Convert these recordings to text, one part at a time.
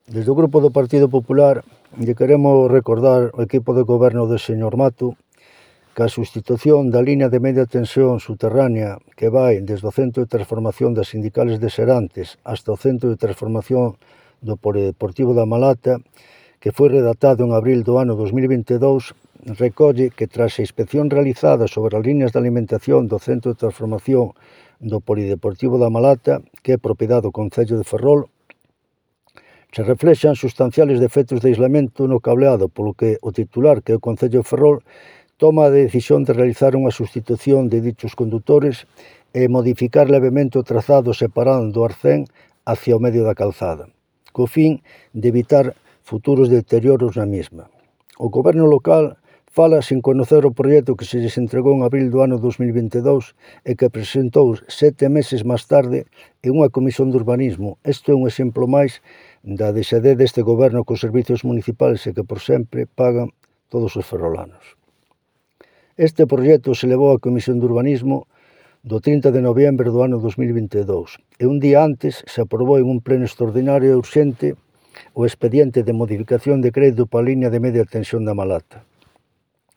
Desde o Grupo do Partido Popular lle queremos recordar ao equipo de goberno do señor Mato que a sustitución da liña de media tensión subterránea que vai desde o Centro de Transformación das Sindicales de Serantes hasta o Centro de Transformación do Polideportivo da Malata, que foi redactado en abril do ano 2022, recolle que tras a inspección realizada sobre as liñas de alimentación do Centro de Transformación do Polideportivo da Malata, que é propiedade do Concello de Ferrol, se reflexan sustanciales defectos de aislamento no cableado, polo que o titular, que é o Concello de Ferrol, toma a decisión de realizar unha sustitución de dichos condutores e modificar levemente o trazado separando o arcén hacia o medio da calzada, co fin de evitar futuros deterioros na mesma. O goberno local fala sin conocer o proxecto que se lles entregou en abril do ano 2022 e que presentou 7 meses máis tarde en unha comisión de urbanismo. Isto é un exemplo máis da desede deste goberno cos servizos municipais e que por sempre pagan todos os ferrolanos. Este proxecto se levou á Comisión de Urbanismo do 30 de noviembre do ano 2022 e un día antes se aprobou en un pleno extraordinario e urxente o expediente de modificación de crédito para a liña de media tensión da Malata.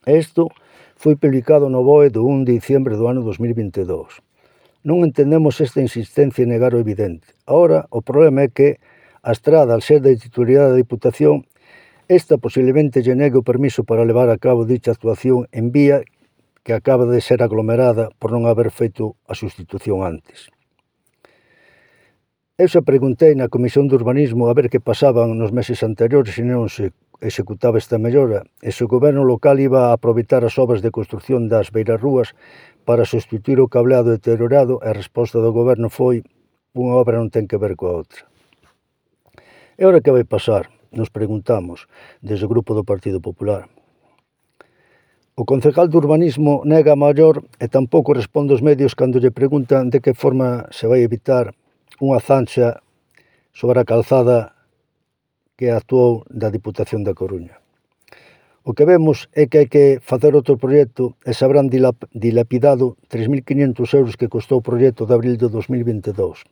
Isto foi publicado no BOE do 1 de diciembre do ano 2022. Non entendemos esta insistencia en negar o evidente. Agora, o problema é que a estrada, al ser de titularidade da Diputación, esta posiblemente lle negue o permiso para levar a cabo dicha actuación en vía que acaba de ser aglomerada por non haber feito a sustitución antes. Eu xa preguntei na Comisión de Urbanismo a ver que pasaban nos meses anteriores se non se executaba esta mellora e se o goberno local iba a aproveitar as obras de construción das beirarrúas para sustituir o cableado deteriorado e a resposta do goberno foi: unha obra non ten que ver coa outra. E ora que vai pasar? Nos preguntamos desde o Grupo do Partido Popular. O concejal de Urbanismo nega a maior e tampouco responde aos medios cando lle preguntan de que forma se vai evitar unha zanxa sobre a calzada que actuou da Diputación da Coruña. O que vemos é que hai que facer outro proxecto e se habrán dilapidado 3.500 euros que costou o proxecto de abril de 2022.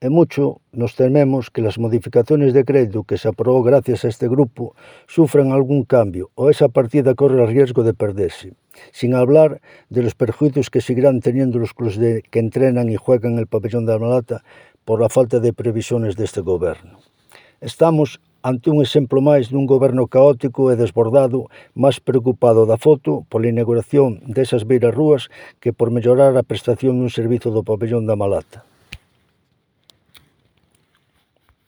E mucho nos tememos que as modificaciones de crédito que se aprobou gracias a este grupo sufran algún cambio ou esa partida corre o riesgo de perderse, sin hablar de los perjuicios que seguirán teniendo los clubes que entrenan y juegan en el pabellón de la Malata por la falta de previsiones deste goberno. Estamos ante un exemplo máis dun goberno caótico e desbordado, máis preocupado da foto pola inauguración desas beirarrúas que por mellorar a prestación dun servizo do pabellón da Malata.